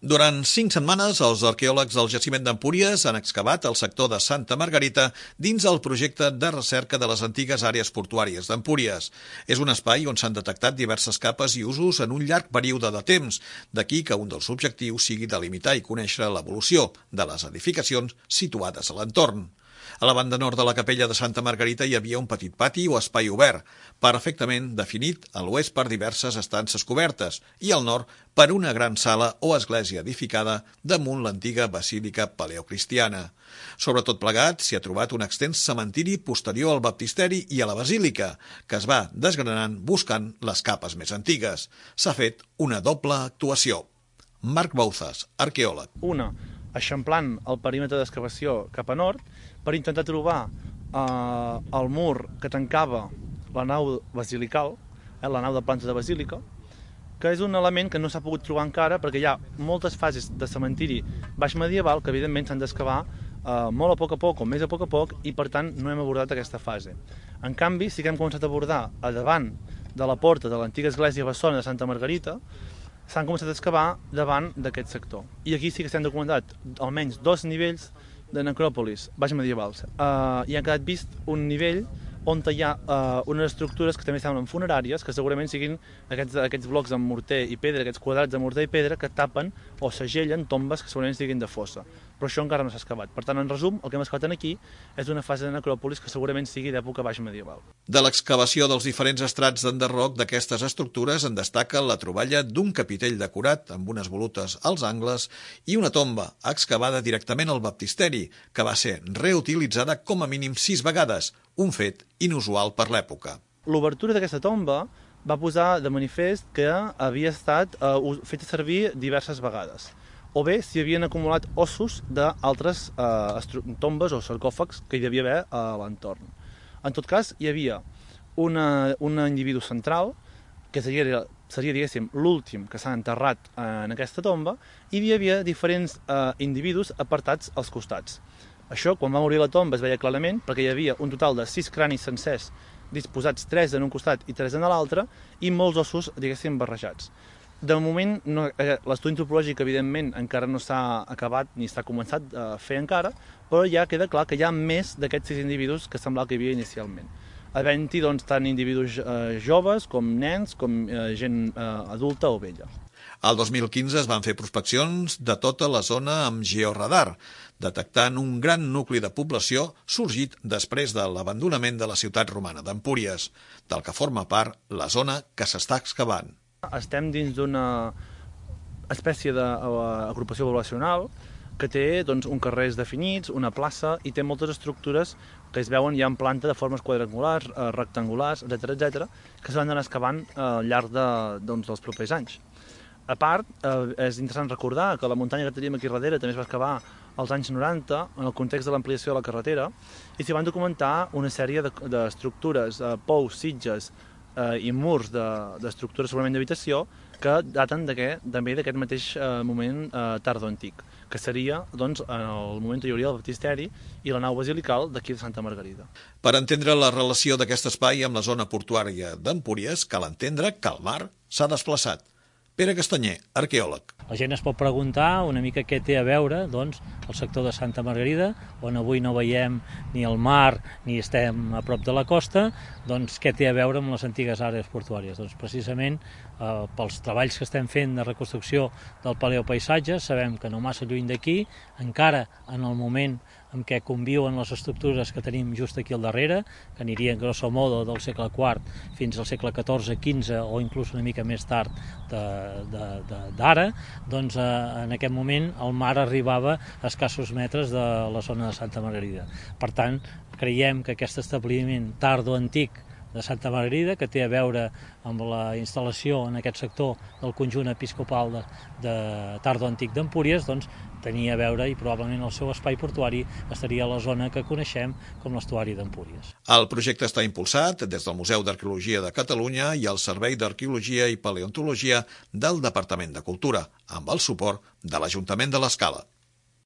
Durant 5 setmanes, els arqueòlegs del jaciment d'Empúries han excavat el sector de Santa Margarita dins el projecte de recerca de les antigues àrees portuàries d'Empúries. És un espai on s'han detectat diverses capes i usos en un llarg període de temps, d'aquí que un dels objectius sigui delimitar i conèixer l'evolució de les edificacions situades a l'entorn. A la banda nord de la capella de Santa Margarita hi havia un petit pati o espai obert, perfectament definit a l'oest per diverses estances cobertes i al nord per una gran sala o església edificada damunt l'antiga basílica paleocristiana. Sobretot plegat s'hi ha trobat un extens cementiri posterior al baptisteri i a la basílica, que es va desgranant buscant les capes més antigues. S'ha fet una doble actuació. Marc Bouzas, arqueòleg. Una, eixamplant el perímetre d'excavació cap a nord per intentar trobar el mur que tancava la nau basilical, la nau de planta de basílica, que és un element que no s'ha pogut trobar encara perquè hi ha moltes fases de cementiri baix medieval que evidentment s'han d'excavar molt a poc o més a poc i per tant no hem abordat aquesta fase. En canvi sí que hem començat a abordar a davant de la porta de l'antiga església bessona de Santa Margarita, s'han començat a excavar davant d'aquest sector. I aquí sí que s'han documentat almenys 2 nivells de necròpolis baix medievals. I ha quedat vist un nivell on hi ha unes estructures que també semblen funeràries, que segurament siguin aquests blocs amb morter i pedra, aquests quadrats de morter i pedra que tapen o segellen tombes que segurament siguin de fossa. Però això encara no s'ha excavat. Per tant, en resum, el que hem excavat aquí és una fase de necròpolis que segurament sigui d'època baix medieval. De l'excavació dels diferents estrats d'enderroc d'aquestes estructures en destaca la troballa d'un capitell decorat amb unes volutes als angles i una tomba excavada directament al baptisteri, que va ser reutilitzada com a mínim 6 vegades, un fet inusual per l'època. L'obertura d'aquesta tomba va posar de manifest que havia estat feta servir diverses vegades, o bé s'hi havien acumulat ossos d'altres tombes o sarcòfags que hi devia haver a l'entorn. En tot cas, hi havia un individu central, que seria diguéssim, l'últim que s'ha enterrat en aquesta tomba, i hi havia diferents individus apartats als costats. Això, quan va morir la tomba, es veia clarament, perquè hi havia un total de 6 cranis sencers disposats 3 en un costat i 3 en l'altre, i molts ossos, diguéssim, barrejats. De moment, l'estudi antropològic, evidentment, encara no s'ha acabat ni s'ha començat a fer encara, però ja queda clar que hi ha més d'aquests 6 individus que semblava que hi havia inicialment. Havent-hi, doncs, tant individus joves com nens, com gent adulta o vella. Al 2015 es van fer prospeccions de tota la zona amb georadar, detectant un gran nucli de població sorgit després de l'abandonament de la ciutat romana d'Empúries, del que forma part la zona que s'està excavant. Estem dins d'una espècie d'agrupació poblacional que té uns carrers definits, una plaça, i té moltes estructures que es veuen ja en planta de formes quadrangulars, rectangulars, etc., que s'han d'anar excavant al llarg dels propers anys. A part, és interessant recordar que la muntanya que teníem aquí darrere també es va excavar als anys 90 en el context de l'ampliació de la carretera i s'hi van documentar una sèrie d'estructures, pous, sitges i murs d'estructures segurament d'habitació que daten també d'aquest mateix moment tardoantic, que seria en el moment on hi hauria el baptisteri i la nau basilical d'aquí de Santa Margarida. Per entendre la relació d'aquest espai amb la zona portuària d'Empúries, cal entendre que el mar s'ha desplaçat. Pere Castanyer, arqueòleg. La gent es pot preguntar una mica què té a veure el sector de Santa Margarida, on avui no veiem ni el mar ni estem a prop de la costa, què té a veure amb les antigues àrees portuàries? Precisament pels treballs que estem fent de reconstrucció del paleopaisatge, sabem que no massa lluny d'aquí, encara en el moment en què conviuen les estructures que tenim just aquí al darrere, que anirien grosso modo del segle IV fins al segle XIV, XV o inclús una mica més tard d'ara, en aquest moment el mar arribava a escassos metres de la zona de Santa Margarida. Per tant, creiem que aquest establiment tardoantic de Santa Margarida, que té a veure amb la instal·lació en aquest sector del conjunt episcopal de tardoantic d'Empúries, tenia a veure i probablement el seu espai portuari estaria a la zona que coneixem com l'estuari d'Empúries. El projecte està impulsat des del Museu d'Arqueologia de Catalunya i el Servei d'Arqueologia i Paleontologia del Departament de Cultura, amb el suport de l'Ajuntament de l'Escala.